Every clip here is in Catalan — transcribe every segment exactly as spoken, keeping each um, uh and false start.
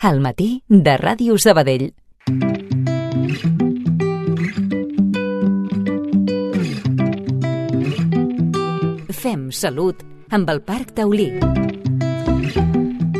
Al matí de Ràdio Sabadell. Fem salut amb el Parc Taulí.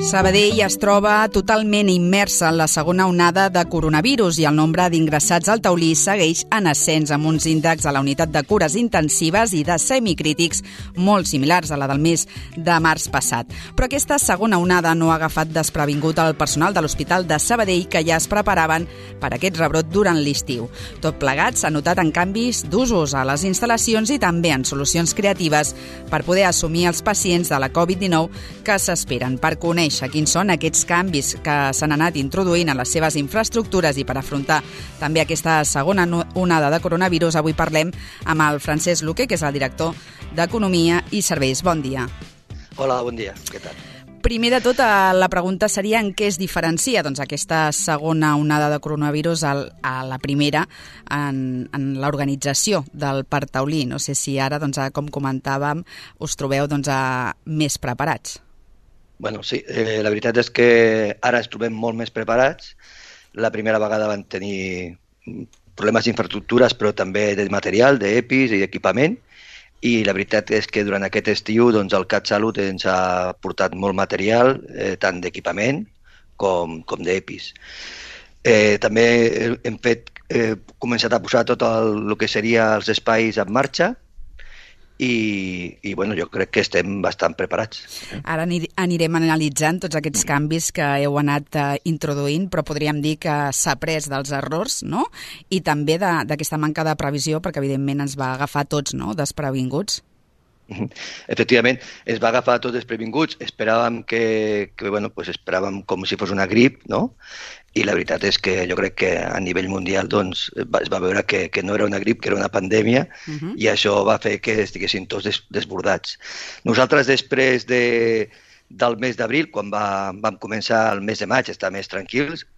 Sabadell es troba totalment immersa en la segona onada de coronavirus i el nombre d'ingressats al Taulí segueix en ascens amb uns índexs a la unitat de cures intensives i de semicrítics molt similars a la del mes de març passat. Però aquesta segona onada no ha agafat desprevingut el personal de l'Hospital de Sabadell, que ja es preparaven per aquest rebrot durant l'estiu. Tot plegat s'ha notat en canvis d'usos a les instal·lacions i també en solucions creatives per poder assumir els pacients de la covid dinou que s'esperen. Per conèixer quins són aquests canvis que s'han anat introduint a les seves infraestructures i per afrontar també aquesta segona onada de coronavirus, avui parlem amb el Francesc Luque, que és el director d'Economia i Serveis. Bon dia. Hola, bon dia. Què tal? Primer de tot, la pregunta seria en què es diferencia doncs, aquesta segona onada de coronavirus a la primera en, en l'organització del Parc Taulí. No sé si ara, doncs, com comentàvem, us trobeu doncs, més preparats. Bueno, sí, eh, la veritat és que ara ens trobem molt més preparats. La primera vegada van tenir problemes d'infraestructures, però també de material, d'EPIs i d'equipament. I la veritat és que durant aquest estiu doncs, el CatSalut ens ha portat molt material, eh, tant d'equipament com, com d'EPIs. Eh, també hem fet, eh, començat a posar tot el, el que seria els espais en marxa, I, i bueno, jo crec que estem bastant preparats. Ara anirem analitzant tots aquests canvis que heu anat uh, introduint, però podríem dir que s'ha après dels errors, no? I també d'aquesta manca de previsió, perquè evidentment ens va agafar tots, no?, desprevinguts. Efectivament, es va agafar tots desprevinguts. Esperàvem que, que bueno, pues esperàvem com si fos una grip, no? I la veritat és que jo crec que a nivell mundial doncs, es va veure que, que no era una grip, que era una pandèmia, uh-huh. I això va fer que estiguessin tots des, desbordats. Nosaltres, després de, del mes d'abril, quan va, vam començar el mes de maig, estar més tranquils,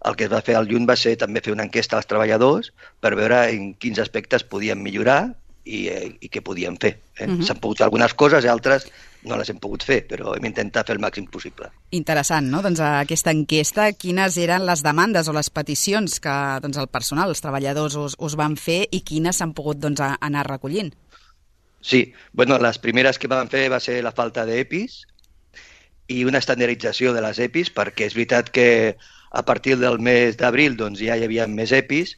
el que es va fer al juny va ser també fer una enquesta als treballadors per veure en quins aspectes podien millorar i, eh, i què podien fer. Eh? Uh-huh. S'han pogut fer algunes coses i altres no les hem pogut fer, però hem intentat fer el màxim possible. Interessant, no? Doncs aquesta enquesta, quines eren les demandes o les peticions que doncs, el personal, els treballadors us, us van fer i quines s'han pogut doncs, anar recollint? Sí, bueno, les primeres que vam fer va ser la falta d'EPIs i una estandardització de les EPIs, perquè és veritat que a partir del mes d'abril doncs, ja hi havia més EPIs,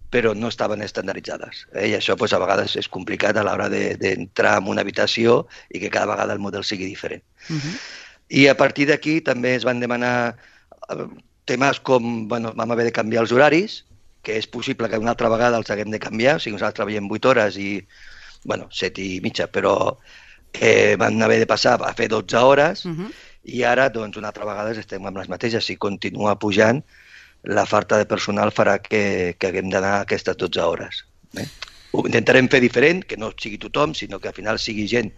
però no estaven estandarditzades. Eh? I això doncs, a vegades és complicat a l'hora d'entrar de, en una habitació i que cada vegada el model sigui diferent. Uh-huh. I a partir d'aquí també es van demanar temes com, bueno, vam haver de canviar els horaris, que és possible que una altra vegada els haguem de canviar, o sigui, nosaltres treballem vuit hores i, bueno, set i mitja, però eh, van haver de passar a fer dotze hores, uh-huh. I ara, doncs, una altra vegada estem amb les mateixes. Si continua pujant, la falta de personal farà que, que haguem d'anar a aquestes dotze hores. Eh? Ho intentarem fer diferent, que no sigui tothom, sinó que al final sigui gent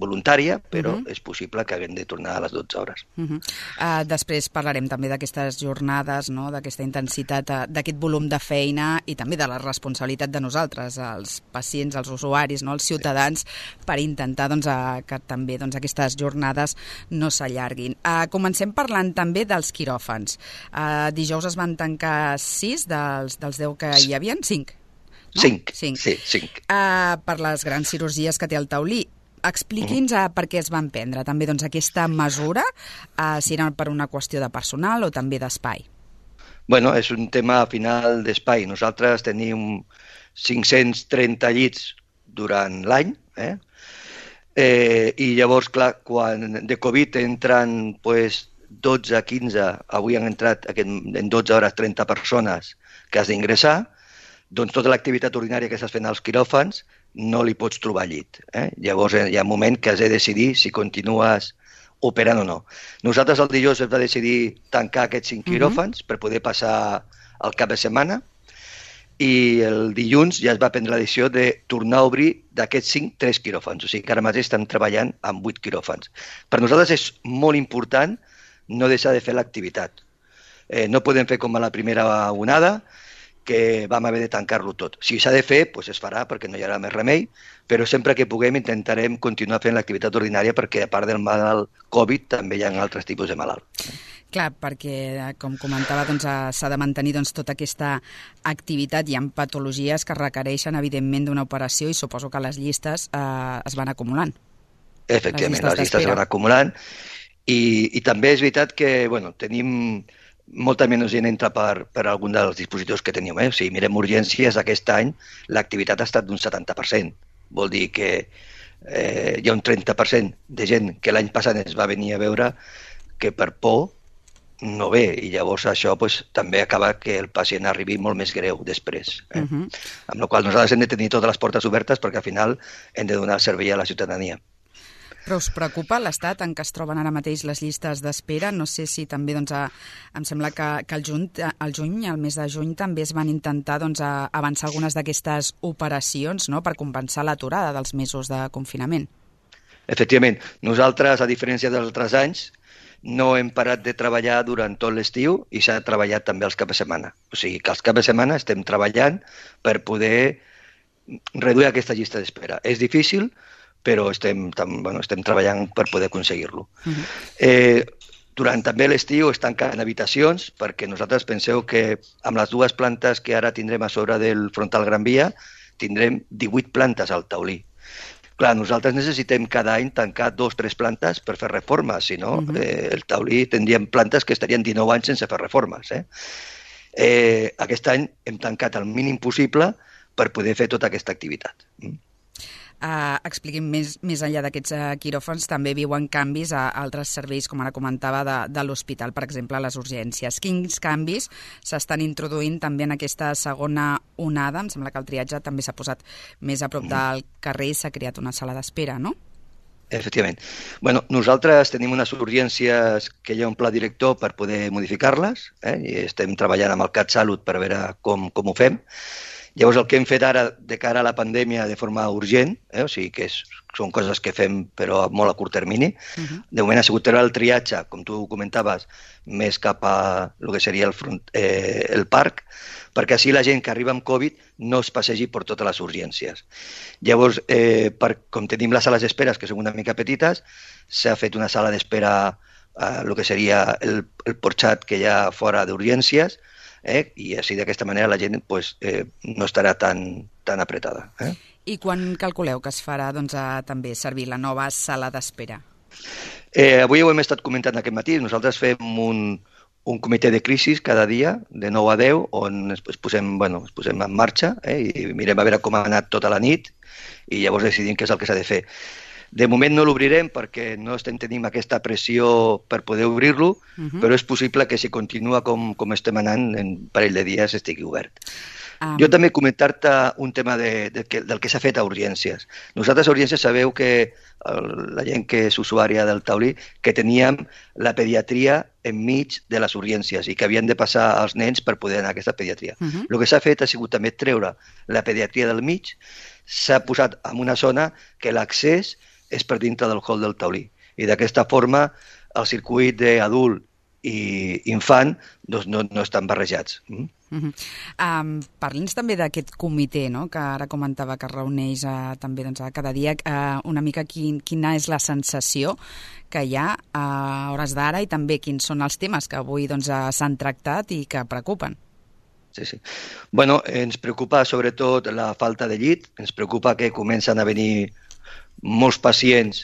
voluntària, però uh-huh. és possible que haguem de tornar a les dotze hores. Uh-huh. uh, després parlarem també d'aquestes jornades, no? D'aquesta intensitat, uh, d'aquest volum de feina i també de la responsabilitat de nosaltres, els pacients, els usuaris, no? Els ciutadans, sí. Per intentar doncs, uh, que també doncs, aquestes jornades no s'allarguin. Uh, comencem parlant també dels quiròfans. Uh, dijous es van tancar sis dels, dels deu que hi havia, cinc. No? Cinc, cinc. Sí, cinc. Uh, per les grans cirurgies que té el Taulí. Expliqui'ns uh, per què es van prendre també doncs, aquesta mesura, uh, si era per una qüestió de personal o també d'espai. Bueno, és un tema final d'espai. Nosaltres tenim cinc-cents trenta llits durant l'any, eh? Eh, i llavors, clar, quan de Covid entren pues, dotze, quinze, avui han entrat en dotze hores trenta persones que has d'ingressar, doncs tota l'activitat ordinària que estàs fent als quiròfans no li pots trobar llit. Eh? Llavors hi ha un moment que has de decidir si continues operant o no. Nosaltres el dijous hem de decidir tancar aquests cinc quiròfans uh-huh. per poder passar el cap de setmana i el dilluns ja es va prendre la decisió de tornar a obrir d'aquests cinc, tres quiròfans. O sigui que ara mateix estem treballant amb vuit quiròfans. Per nosaltres és molt important no deixar de fer l'activitat. Eh, no podem fer com a la primera onada que vam haver de tancar-lo tot. Si s'ha de fer, doncs es farà perquè no hi haurà més remei, però sempre que puguem intentarem continuar fent l'activitat ordinària perquè a part del malalt Covid també hi ha altres tipus de malalt. Clar, perquè, com comentava, doncs, s'ha de mantenir doncs, tota aquesta activitat. Hi ha patologies que requereixen, evidentment, d'una operació i suposo que les llistes eh, es van acumulant. Efectivament, les llistes, les llistes es van acumulant i, i també és veritat que bueno, tenim molta menys gent entra per, per algun dels dispositius que tenim. Eh? Si mirem urgències, aquest any l'activitat ha estat d'un setanta per cent. Vol dir que eh, hi ha un trenta per cent de gent que l'any passat es va venir a veure que per por no ve, i llavors això pues, també acaba que el pacient arribi molt més greu després. Eh? Uh-huh. Amb la qual cosa nosaltres hem de tenir totes les portes obertes perquè al final hem de donar servei a la ciutadania. Però us preocupa l'estat en què es troben ara mateix les llistes d'espera? No sé si també, doncs, a, em sembla que, que el, juny, el juny, el mes de juny, també es van intentar doncs, a avançar algunes d'aquestes operacions, no?, per compensar l'aturada dels mesos de confinament. Efectivament. Nosaltres, a diferència dels altres anys, no hem parat de treballar durant tot l'estiu i s'ha treballat també els caps de setmana. O sigui que els caps de setmana estem treballant per poder reduir aquesta llista d'espera. És difícil, però estem, bueno, estem treballant per poder aconseguir-lo. Uh-huh. Eh, durant també l'estiu es tanquen habitacions perquè nosaltres penseu que amb les dues plantes que ara tindrem a sobre del frontal Gran Via tindrem divuit plantes al taulí. Clar, nosaltres necessitem cada any tancar dos o tres plantes per fer reformes, si no, uh-huh. eh, el taulí tindríem plantes que estarien dinou anys sense fer reformes. Eh? Eh, aquest any hem tancat el mínim possible per poder fer tota aquesta activitat. Mm. Uh, expliquem més, més enllà d'aquests uh, quiròfans, també viuen canvis a altres serveis, com ara comentava, de, de l'hospital, per exemple, a les urgències. Quins canvis s'estan introduint també en aquesta segona onada? Em sembla que el triatge també s'ha posat més a prop del carrer i s'ha creat una sala d'espera, no? Efectivament. Bueno, nosaltres tenim unes urgències que hi ha un pla director per poder modificar-les, eh? I estem treballant amb el CatSalut per veure com, com ho fem. Llavors, el que hem fet ara de cara a la pandèmia de forma urgent, eh? O sigui que és, són coses que fem però molt a curt termini. Uh-huh. De moment ha sigut el triatge, com tu comentaves, més cap a el que seria el, front, eh, el parc, perquè així la gent que arriba amb Covid no es passegi per totes les urgències. Llavors, eh, per, com tenim les sales d'espera, que són una mica petites, s'ha fet una sala d'espera a el que seria el, el porxat que hi ha fora d'urgències, Eh? i així d'aquesta manera la gent pues, eh, no estarà tan, tan apretada. Eh? I quan calculeu que es farà doncs, a, també servir la nova sala d'espera? Eh, avui ho hem estat comentant aquest matí. Nosaltres fem un, un comitè de crisi cada dia, de nou a deu, on es, es, posem, bueno, es posem en marxa eh? i mirem a veure com ha anat tota la nit i llavors decidim què és el que s'ha de fer. De moment no l'obrirem perquè no estem tenint aquesta pressió per poder obrir-lo, uh-huh. però és possible que si continua com, com estem anant, en un parell de dies estigui obert. Um... Jo també comentar-te un tema de, de, de, del que s'ha fet a urgències. Nosaltres a urgències sabeu que el, la gent que és usuària del taulí, que teníem la pediatria enmig de les urgències i que havien de passar els nens per poder anar a aquesta pediatria. Uh-huh. El que s'ha fet ha sigut també treure la pediatria del mig, s'ha posat en una zona que l'accés és per dintre del hall del taulí. I d'aquesta forma el circuit d'adult i infant doncs no, no estan barrejats. Mm? Uh-huh. Um, Parli'ns també d'aquest comitè, no?, que ara comentava que es reuneix uh, també doncs, cada dia. Uh, una mica quin, quina és la sensació que hi ha a hores d'ara i també quins són els temes que avui doncs, s'han tractat i que preocupen. Sí, sí. Bueno, ens preocupa sobretot la falta de llit, ens preocupa que comencen a venir molts pacients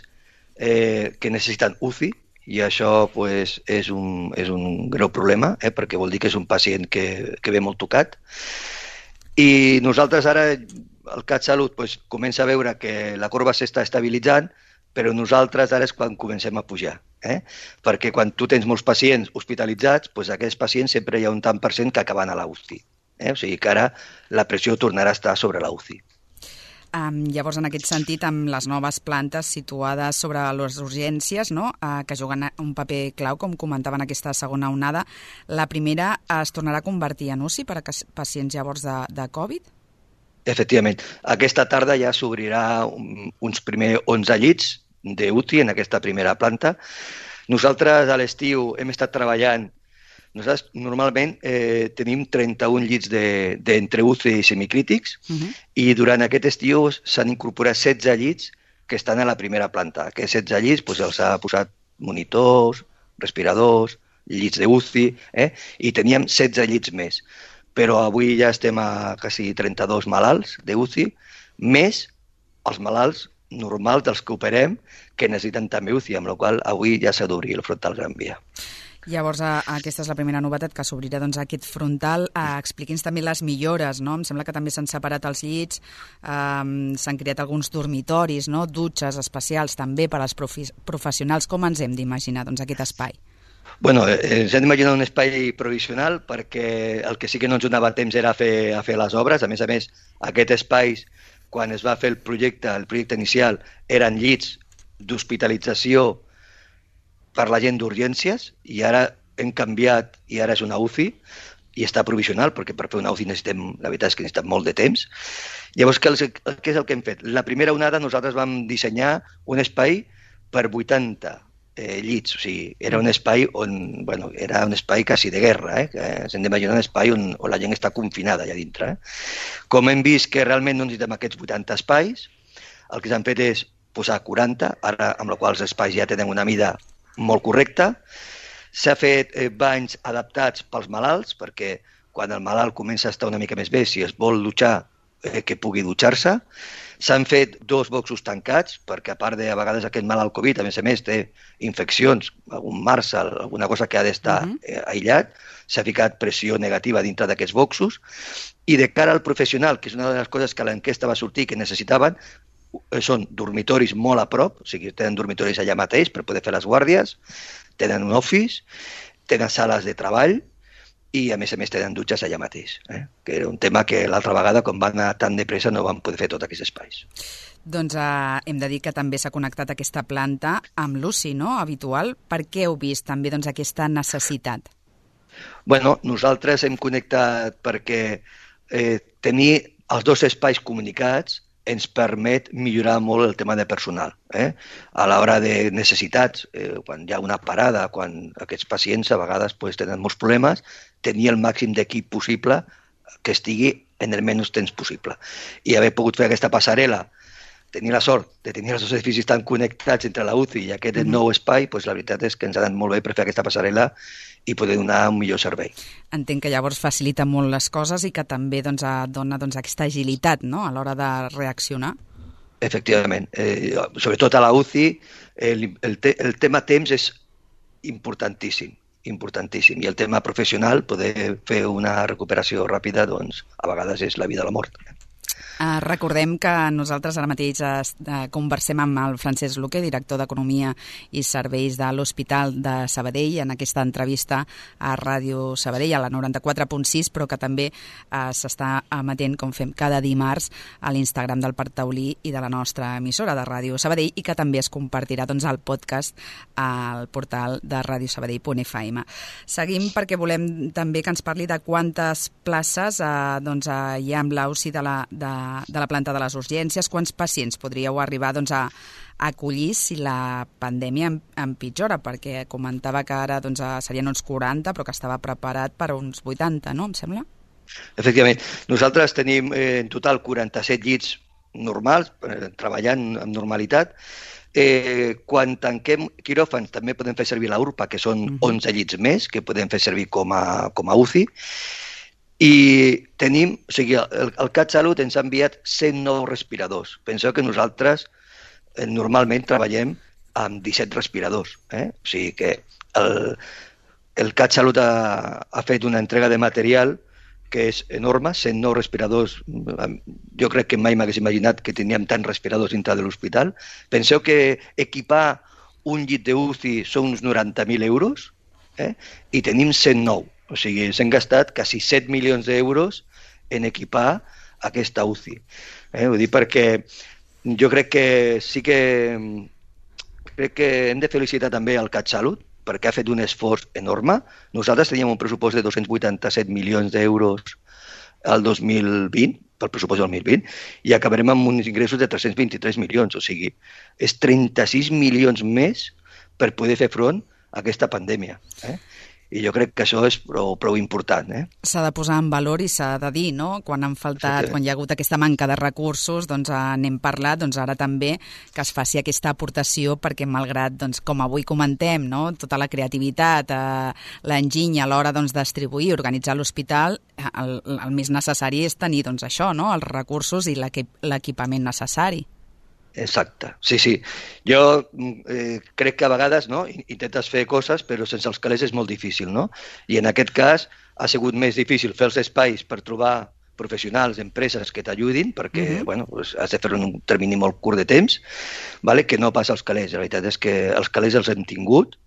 eh, que necessiten U C I i això pues, és, un, és un greu problema eh, perquè vol dir que és un pacient que, que ve molt tocat. I nosaltres ara, el CatSalut pues, comença a veure que la corba s'està estabilitzant, però nosaltres ara és quan comencem a pujar. Eh? Perquè quan tu tens molts pacients hospitalitzats, pues, aquests pacients sempre hi ha un tant per cent que acaben a la U C I. Eh? O sigui que ara la pressió tornarà a estar sobre la U C I. Um, llavors, en aquest sentit, amb les noves plantes situades sobre les urgències, no?, uh, que juguen un paper clau, com comentava en aquesta segona onada, la primera es tornarà a convertir en U C I per a pacients llavors de, de Covid? Efectivament. Aquesta tarda ja s'obrirà un, uns primers onze llits d'U C I en aquesta primera planta. Nosaltres a l'estiu hem estat treballant Nosaltres normalment eh, tenim trenta-un llits d'entre U C I i semicrítics uh-huh. i durant aquest estiu s'han incorporat setze llits que estan a la primera planta. Aquests setze llits doncs, els ha posat monitors, respiradors, llits de U C I, eh? I teníem setze llits més. Però avui ja estem a quasi trenta-dos malalts de U C I, més els malalts normals dels que operem que necessiten també U C I, amb la qual cosa avui ja s'ha d'obrir el frontal Gran Via. Llavors, aquesta és la primera novetat, que s'obrirà doncs, aquest frontal. Eh, Expliqui'ns també les millores, no? Em sembla que també s'han separat els llits, eh, s'han creat alguns dormitoris, no? Dutxes especials també per als profi- professionals. Com ens hem d'imaginar doncs, aquest espai? Bueno, eh, ens hem d'imaginar un espai provisional perquè el que sí que no ens donava temps era fer, a fer les obres. A més a més, aquest espai, quan es va fer el projecte, el projecte inicial, eren llits d'hospitalització per la gent d'urgències i ara hem canviat i ara és una U C I i està provisional perquè per fer una U C I necessitem, la veritat és que necessitem molt de temps. Llavors, què és el que hem fet? La primera onada nosaltres vam dissenyar un espai per vuitanta eh, llits, o sigui, era un espai on, bueno, era un espai quasi de guerra, eh? Que ens hem d'imaginar un espai on, on la gent està confinada allà dintre. Eh? Com hem vist que realment no necessitem aquests vuitanta espais, el que s'han fet és posar quaranta, ara amb la qual els espais ja tenen una mida molt correcta. S'ha fet eh, banys adaptats pels malalts, perquè quan el malalt comença a estar una mica més bé, si es vol dutxar, eh, que pugui dutxar-se. S'han fet dos boxos tancats, perquè a part de a vegades aquest malalt Covid, a més a més, té infeccions, algun màrsal, alguna cosa que ha d'estar uh-huh. eh, aïllat. S'ha ficat pressió negativa dintre d'aquests boxos. I de cara al professional, que és una de les coses que a l'enquesta va sortir que necessitaven, són dormitoris molt a prop, o sigui, tenen dormitoris allà mateix per poder fer les guàrdies, tenen un office, tenen sales de treball i, a més a més, tenen dutxes allà mateix, eh? Que era un tema que l'altra vegada, quan van anar tan de pressa, no van poder fer tots aquests espais. Doncs eh, hem de dir que també s'ha connectat aquesta planta amb l'U C I, no?, habitual. Per què heu vist també doncs, aquesta necessitat? Bueno, nosaltres hem connectat perquè eh, tenir els dos espais comunicats ens permet millorar molt el tema de personal. Eh? A l'hora de necessitats, eh, quan hi ha una parada, quan aquests pacients a vegades pues, tenen molts problemes, tenir el màxim d'equip possible que estigui en el menys temps possible. I haver pogut fer aquesta passarel·la, tenir la sort de tenir els dos edificis tan connectats entre la U C I i aquest mm-hmm. nou espai, pues, la veritat és que ens ha anat molt bé per fer aquesta passarel·la i poder donar un millor servei. Entenc que llavors facilita molt les coses i que també doncs, dona doncs, aquesta agilitat, no?, a l'hora de reaccionar. Efectivament. Eh, sobretot a la U C I, el, el, te, el tema temps és importantíssim, importantíssim. I el tema professional, poder fer una recuperació ràpida, doncs, a vegades és la vida o la mort. Uh, recordem que nosaltres ara mateix uh, conversem amb el Francesc Luque, director d'Economia i Serveis de l'Hospital de Sabadell, en aquesta entrevista a Ràdio Sabadell, a la noranta-quatre punt sis, però que també uh, s'està emetent, com fem cada dimarts, a l'Instagram del Parc Taulí i de la nostra emissora de Ràdio Sabadell, i que també es compartirà doncs, al podcast al portal de radio sabadell punt f m. Seguim perquè volem també que ens parli de quantes places uh, doncs, uh, hi ha amb l'U C I de la, de de la planta de les urgències, quants pacients podríeu arribar doncs, a, a acollir si la pandèmia empitjora, perquè comentava que ara doncs, serien uns quaranta, però que estava preparat per uns vuitanta, no, em sembla? Efectivament. Nosaltres tenim eh, en total quaranta-set llits normals, eh, treballant amb normalitat. Eh, quan tanquem quiròfans també podem fer servir la U R P A, que són uh-huh. onze llits més, que podem fer servir com a, com a U C I. I tenim, o sigui, el, el CatSalut ens ha enviat cent nou respiradors. Penseu que nosaltres eh, normalment treballem amb disset respiradors. Eh? O sigui que el, el CatSalut ha, ha fet una entrega de material que és enorme, cent nou respiradors. Jo crec que mai m'hagués imaginat que teníem tants respiradors dintre de l'hospital. Penseu que equipar un llit de U C I són uns noranta mil euros, eh? I tenim cent nou. O sigui, s'han gastat quasi set milions d'euros en equipar aquesta U C I. Eh? Vull dir perquè jo crec que sí que crec que hem de felicitar també el CatSalut perquè ha fet un esforç enorme. Nosaltres teníem un pressupost de dos-cents vuitanta-set milions d'euros al dos mil vint, pel pressupost del dos mil vint, i acabarem amb uns ingressos de tres-cents vint-i-tres milions. O sigui, és trenta-sis milions més per poder fer front a aquesta pandèmia. Eh? I jo crec que això és prou, prou important. Eh? S'ha de posar en valor i s'ha de dir, no? Quan han faltat, sí, quan hi ha hagut aquesta manca de recursos, doncs n'hem parlat, doncs ara també que es faci aquesta aportació perquè malgrat, doncs, com avui comentem, no? Tota la creativitat, eh, l'enginy a l'hora doncs, distribuir, organitzar l'hospital, el, el més necessari és tenir doncs, això, no? Els recursos i l'equipament necessari. Exacte, sí, sí. Jo eh, crec que a vegades no, intentes fer coses, però sense els calés és molt difícil, no? I en aquest cas ha sigut més difícil fer els espais per trobar professionals, empreses que t'ajudin, perquè uh-huh. bueno, pues, has de fer en un termini molt curt de temps, vale? Que no passa als calés. La veritat és que els calés els hem tingut,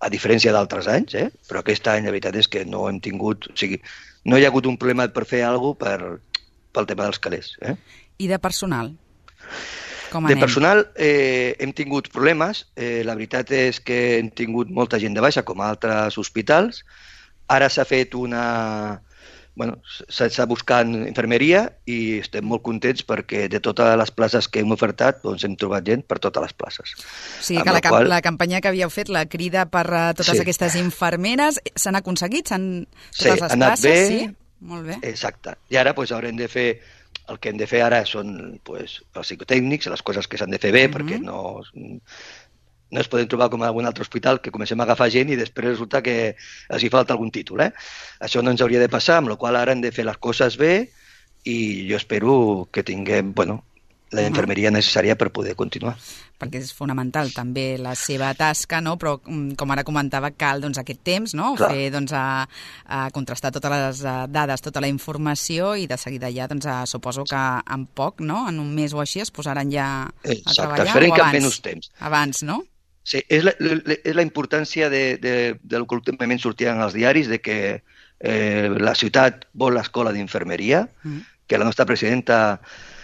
a diferència d'altres anys, eh? Però aquest any la veritat és que no hem tingut... O sigui, no hi ha hagut un problema per fer alguna cosa per, pel tema dels calés. Eh? I de personal? Com de personal eh, hem tingut problemes. Eh, la veritat és que hem tingut molta gent de baixa, com a altres hospitals. Ara s'ha fet una... Bueno, s'està buscant infermeria i estem molt contents perquè de totes les places que hem ofertat doncs hem trobat gent per totes les places. O sigui que la, qual... la campanya que havíeu fet, la crida per uh, totes sí. aquestes infermeres, s'han aconseguit? S'han... Totes sí, les ha anat places? bé. Sí, molt bé. Exacte. I ara doncs, haurem de fer... El que hem de fer ara són pues, els psicotècnics, les coses que s'han de fer bé, uh-huh. perquè no, no es poden trobar com a algun altre hospital que comencem a agafar gent i després resulta que els hi falta algun títol. Eh? Això no ens hauria de passar, amb la qual ara hem de fer les coses bé i jo espero que tinguem bueno, la infermeria necessària per poder continuar. Perquè és fonamental també la seva tasca, no? Però com ara comentava, cal doncs, aquest temps, no? Clar. Fer, doncs, a, a contrastar totes les dades, tota la informació i de seguida ja, doncs, a, suposo que en poc, no? En un mes o així es posaran ja a Exacte. treballar. Esperem o que abans? en menys temps. Abans, no? Sí, és la, és la importància de, de, del que últimament sortia en els diaris de que eh, la ciutat vol l'escola d'infermeria, mm. que la nostra presidenta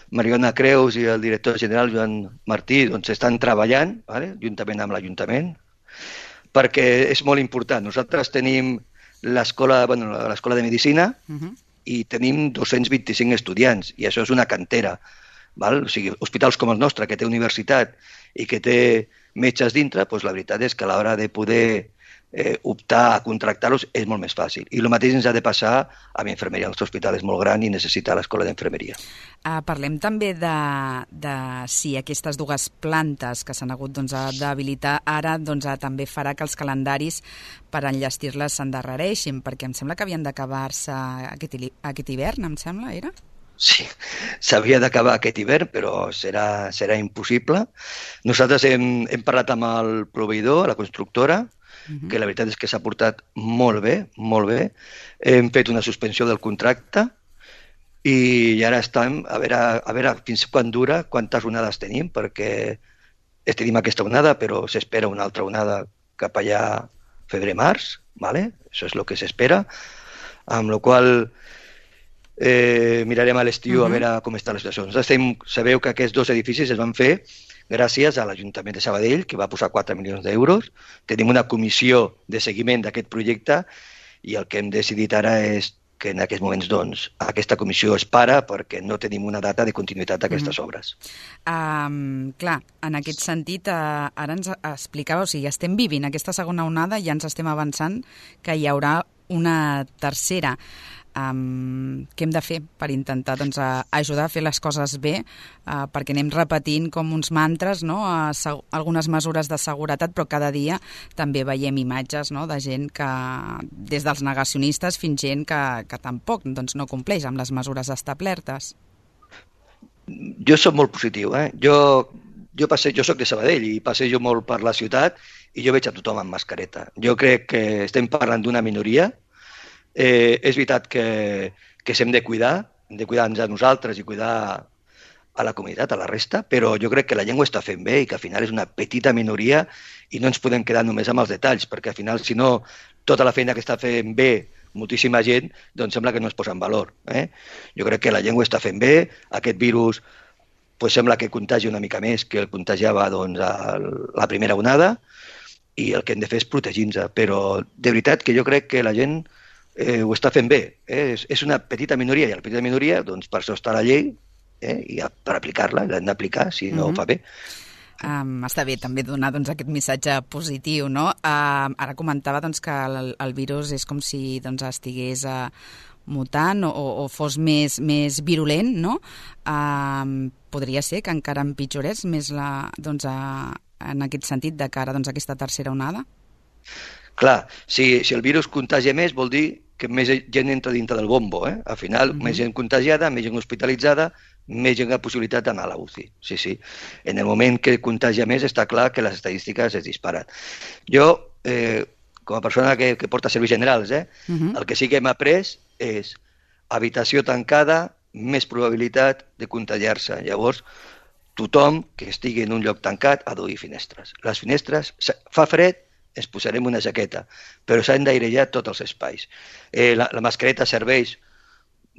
Mariona Creus i el director general Joan Martí doncs, estan treballant, vale? Juntament amb l'Ajuntament, perquè és molt important. Nosaltres tenim l'escola bueno, l'escola de Medicina uh-huh. i tenim dos-cents vint-i-cinc estudiants, i això és una cantera. Val? O sigui, hospitals com el nostre, que té universitat i que té metges dintre, doncs la veritat és que a l'hora de poder eh, optar a contractar-los és molt més fàcil. I el mateix ens ha de passar amb infermeria. El nostre hospital és molt gran i necessita l'escola d'infermeria. Uh, parlem també de, de si aquestes dues plantes que s'han hagut doncs, d'habilitar ara doncs, també farà que els calendaris per enllestir-les s'endarrereixin, perquè em sembla que havien d'acabar-se aquest, aquest hivern, em sembla, era? Sí, s'havia d'acabar aquest hivern, però serà, serà impossible. Nosaltres hem, hem parlat amb el proveïdor, la constructora, uh-huh. que la veritat és que s'ha portat molt bé, molt bé. Hem fet una suspensió del contracte i ara estem a veure, a veure fins quan dura, quantes onades tenim, perquè tenim aquesta onada, però s'espera una altra onada cap allà febrer-març, ¿vale? Això és el que s'espera, amb la qual eh, mirarem a l'estiu uh-huh. a veure com està la situació. Estem, sabeu que aquests dos edificis es van fer gràcies a l'Ajuntament de Sabadell, que va posar quatre milions d'euros. Tenim una comissió de seguiment d'aquest projecte i el que hem decidit ara és que en aquests moments doncs, aquesta comissió es para perquè no tenim una data de continuïtat d'aquestes mm-hmm. obres. Um, clar, en aquest sentit, uh, ara ens explicava, o sigui, estem vivint aquesta segona onada i ja ens estem avançant que hi haurà una tercera. Um, què hem de fer per intentar doncs, a, ajudar a fer les coses bé, uh, perquè anem repetint com uns mantres, no? uh, seg- algunes mesures de seguretat, però cada dia també veiem imatges, no? De gent que, des dels negacionistes fins gent que, que tampoc doncs, no compleix amb les mesures establertes. Jo soc molt positiu. Eh? Jo, jo, passe, jo soc de Sabadell i passejo molt per la ciutat i jo veig a tothom amb mascareta. Jo crec que estem parlant d'una minoria. Eh, és veritat que, que s'hem de cuidar, hem de cuidar-nos a nosaltres i cuidar a la comunitat, a la resta, però jo crec que la llengua està fent bé i que al final és una petita minoria i no ens podem quedar només amb els detalls, perquè al final, si no, tota la feina que està fent bé moltíssima gent, doncs sembla que no es posa en valor. Eh? Jo crec que la llengua està fent bé, aquest virus pues, sembla que contagia una mica més que el contagiava doncs, a la primera onada i el que hem de fer és protegir-nos, però de veritat que jo crec que la gent Eh, ho està fent bé. Eh? És, és una petita minoria i la petita minoria, doncs per això està la llei eh? i per aplicar-la, l'hem d'aplicar si no mm-hmm. ho fa bé. Um, està bé també donar doncs, aquest missatge positiu, no? Uh, ara comentava doncs, que el, el virus és com si doncs, estigués uh, mutant o, o fos més, més virulent, no? Uh, podria ser que encara empitjorés més la, doncs, uh, en aquest sentit de cara doncs, a aquesta tercera onada? Clar, si, si el virus contagia més vol dir que més gent entra dintre del bombo. Eh? Al final, uh-huh. més gent contagiada, més gent hospitalitzada, més gent amb possibilitat d'anar a la U C I. Sí, sí. En el moment que contagia més, està clar que les estadístiques es disparen. Jo, eh, com a persona que, que porta serveis generals, eh, uh-huh. el que sí que hem après és habitació tancada, més probabilitat de contagiar-se. Llavors, tothom que estigui en un lloc tancat ha d'obrir finestres. Les finestres, fa fred, ens posarem una jaqueta, però s'han d'airejar tots els espais. Eh, la, la mascareta serveix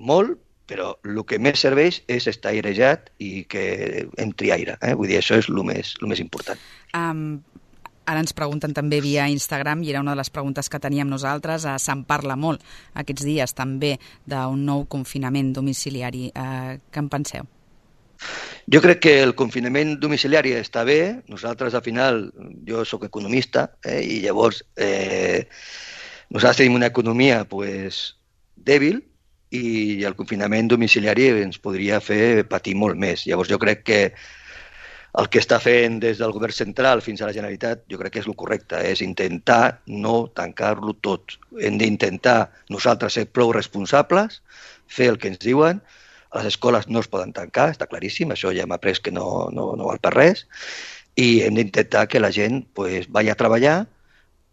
molt, però el que més serveix és estar airejat i que entri aire. Eh? Vull dir, això és el més, el més important. Um, ara ens pregunten també via Instagram, i era una de les preguntes que teníem nosaltres, uh, se'n parla molt aquests dies també d'un nou confinament domiciliari. Uh, què en penseu? Jo crec que el confinament domiciliari està bé. Nosaltres, al final, jo sóc economista, eh, i llavors eh, nosaltres tenim una economia pues, dèbil, i el confinament domiciliari ens podria fer patir molt més. Llavors jo crec que el que està fent des del govern central fins a la Generalitat, jo crec que és el correcte, és intentar no tancar-lo tot. Hem d'intentar nosaltres ser prou responsables, fer el que ens diuen. Les escoles no es poden tancar, està claríssim, això ja hem après que no, no, no val per res, i hem d'intentar que la gent pues, vagi a treballar,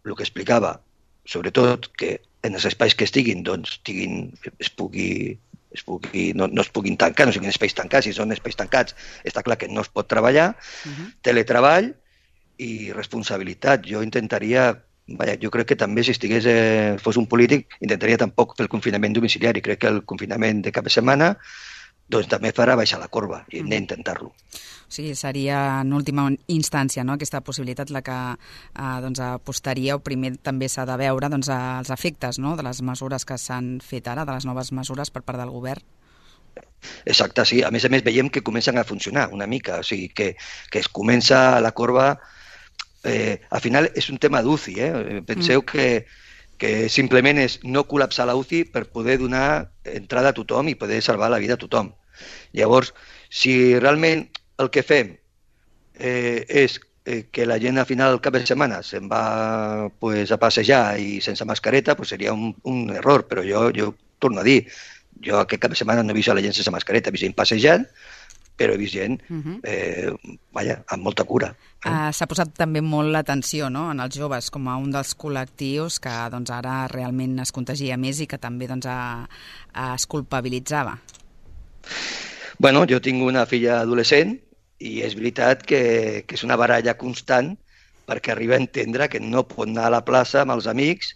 el que explicava, sobretot que en els espais que estiguin, doncs, estiguin, es pugui, es pugui, no, no es puguin tancar, no siguin espais tancats. Si són espais tancats, està clar que no es pot treballar. Uh-huh. Teletreball i responsabilitat. Jo intentaria, vaja, jo crec que també si estigués, eh, fos un polític, intentaria tampoc fer el confinament domiciliari. Crec que el confinament de cap de setmana doncs també farà baixar la corba i hem uh-huh. d'intentar-lo. O sigui, seria en última instància, no?, aquesta possibilitat la que eh, doncs, apostaria, o primer també s'ha de veure doncs, els efectes, no?, de les mesures que s'han fet ara, de les noves mesures per part del govern. Exacte, sí. A més a més veiem que comencen a funcionar una mica, o sigui, que, que es comença la corba... Eh, al final és un tema d'U C I, eh? Penseu mm. que, que simplement és no col·lapsar la U C I per poder donar entrada a tothom i poder salvar la vida a tothom. Llavors, si realment el que fem eh, és eh, que la gent al final del cap de setmana se'n va pues, a passejar i sense mascareta, pues seria un, un error, però jo, jo torno a dir, jo aquest cap de setmana no he vist a la gent sense mascareta, he vist gent passejant, però he vist gent uh-huh. eh, vaja, amb molta cura. Eh? Uh, s'ha posat també molt l'atenció, no?, en els joves com a un dels col·lectius que doncs, ara realment es contagia més i que també doncs, a, a es culpabilitzava. Bueno, jo tinc una filla adolescent i és veritat que, que és una baralla constant perquè arriba a entendre que no pot anar a la plaça amb els amics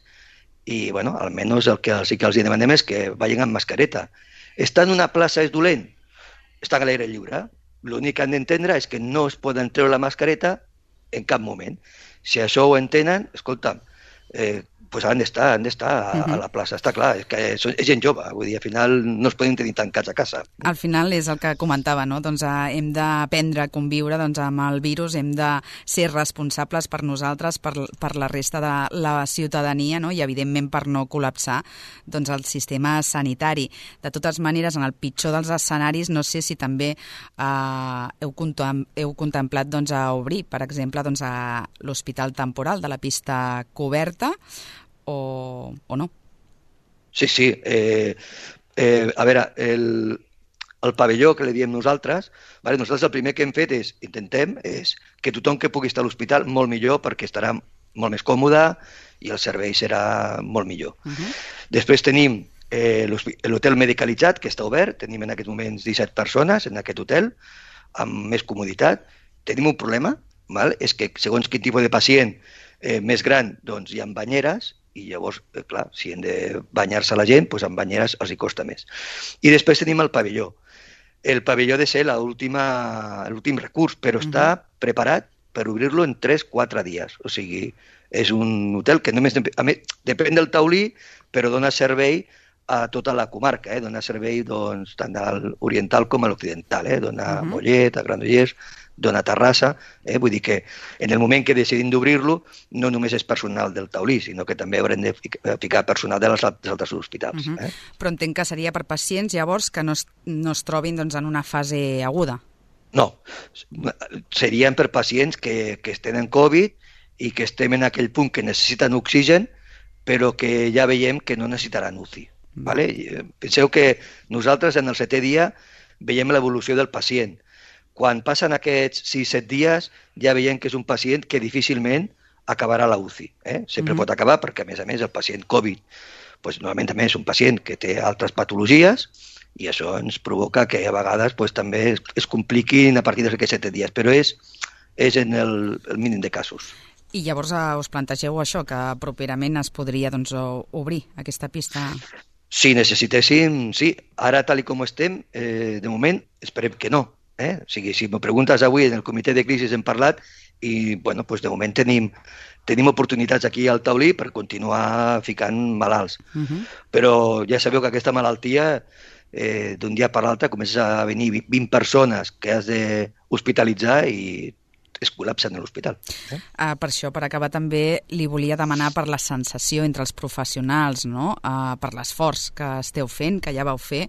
i, bueno, almenys el que sí que els demanem és que vagin amb mascareta. Estar en una plaça és dolent? Està a l'aire lliure. L'únic que han d'entendre és que no es poden treure la mascareta en cap moment. Si això ho entenen, escolta'm, eh, pues han d'estar, han d'estar a, uh-huh. a la plaça. Està clar, és que és, és gent jove, vull dir, al final no es poden tenir tancats a casa. Al final és el que comentava, no? Doncs eh, hem d'aprendre a conviure doncs, amb el virus, hem de ser responsables per nosaltres, per, per la resta de la ciutadania, no? I evidentment per no col·lapsar doncs, el sistema sanitari. De totes maneres, en el pitjor dels escenaris, no sé si també eh, heu, contem, heu contemplat doncs, a obrir, per exemple, doncs, a l'hospital temporal de la pista coberta, O, o no? Sí, sí. Eh, eh, a veure, el, el pavelló que li diem nosaltres, vale, nosaltres el primer que hem fet és, intentem, és que tothom que pugui estar a l'hospital molt millor perquè estarà molt més còmode i el servei serà molt millor. Uh-huh. Després tenim eh, l'hotel medicalitzat, que està obert, tenim en aquests moments disset persones en aquest hotel, amb més comoditat. Tenim un problema, val? És que segons quin tipus de pacient eh, més gran, doncs hi ha banyeres, i llavors, eh, clar, si hem de banyar-se la gent, doncs amb banyeres els hi costa més. I després tenim el pavelló. El pavelló ha de ser l'últim recurs, però uh-huh. està preparat per obrir-lo en tres a quatre dies. O sigui, és un hotel que només, a més, depèn del taulí, però dona servei a tota la comarca, eh? Dona servei doncs, tant a l'oriental com a l'occidental, eh? Dona a Mhm. Mollet, a Granollers, dona a Terrassa, eh? Vull dir que en el moment que decidim d'obrir-lo no només és personal del Taulí, sinó que també haurem de fic- ficar personal dels altres hospitals. Mhm. eh? Però entenc que seria per pacients, llavors, que no es, no es trobin doncs, en una fase aguda. No, serien per pacients que, que estem en Covid i que estem en aquell punt que necessiten oxigen, però que ja veiem que no necessitaran U C I. Vale? I, eh, Penseu que nosaltres en el setè dia veiem l'evolució del pacient. Quan passen aquests sis set dies ja veiem que és un pacient que difícilment acabarà la U C I. Eh? Sempre Mhm. pot acabar perquè, a més a més, el pacient Covid pues, normalment també és un pacient que té altres patologies i això ens provoca que a vegades pues, també es, es compliquin a partir d'aquests set dies, però és, és en el, el mínim de casos. I llavors eh, us plantegeu això, que properament es podria doncs, o- obrir aquesta pista? Si necessitéssim, sí. Ara, tal i com estem, eh, de moment, esperem que no. Eh? O sigui, si m'ho preguntes avui, en el comitè de crisi hem parlat i, bueno, doncs de moment tenim, tenim oportunitats aquí al Taulí per continuar ficant malalts. Uh -huh. Però ja sabeu que aquesta malaltia, eh, d'un dia per l'altre, comença a venir vint persones que has d'hospitalitzar i es col·lapsen a l'hospital. Eh? Uh, per això, per acabar, també li volia demanar per la sensació entre els professionals, no? uh, per l'esforç que esteu fent, que ja vau fer,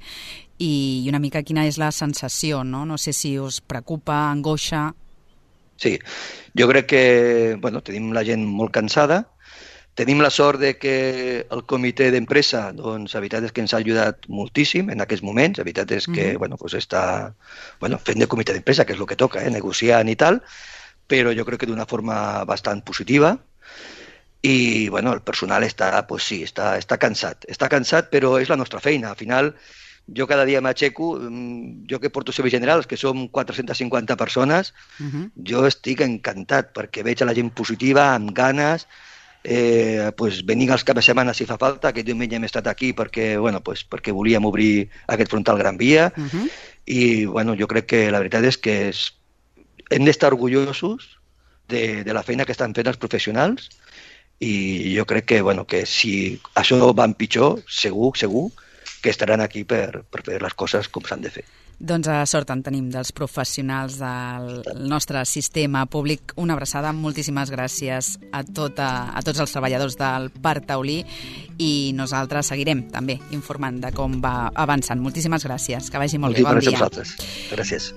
i una mica quina és la sensació, no? No sé si us preocupa, angoixa... Sí, jo crec que bueno, tenim la gent molt cansada, tenim la sort de que el comitè d'empresa, doncs, la veritat és que ens ha ajudat moltíssim en aquests moments, la veritat és que, Mhm. bueno, pues està bueno, fent de comitè d'empresa, que és el que toca, eh, negociant i tal, però jo crec que d'una forma bastant positiva i, bueno, el personal està, pues sí, està, està cansat, està cansat, però és la nostra feina, al final jo cada dia m'aixeco, mm, jo que porto serveis generals, que som quatre-centes cinquanta persones, Uh -huh. jo estic encantat perquè veig a la gent positiva, amb ganes, eh, pues venint els caps de setmana si fa falta. Aquest diumenge hem estat aquí perquè, bueno, pues perquè volíem obrir aquest frontal Gran Via Uh -huh. i bueno, jo crec que la veritat és que és, hem d'estar orgullosos de, de la feina que estan fent els professionals i jo crec que, bueno, que si això va en pitjor, segur, segur que estaran aquí per, per fer les coses com s'han de fer. Doncs a sort en tenim dels professionals del nostre sistema públic. Una abraçada, moltíssimes gràcies a, tota, a tots els treballadors del Parc Taulí i nosaltres seguirem també informant de com va avançant. Moltíssimes gràcies, que vagi molt bé, bon Moltíssimes dia. gràcies a vosaltres. Gràcies.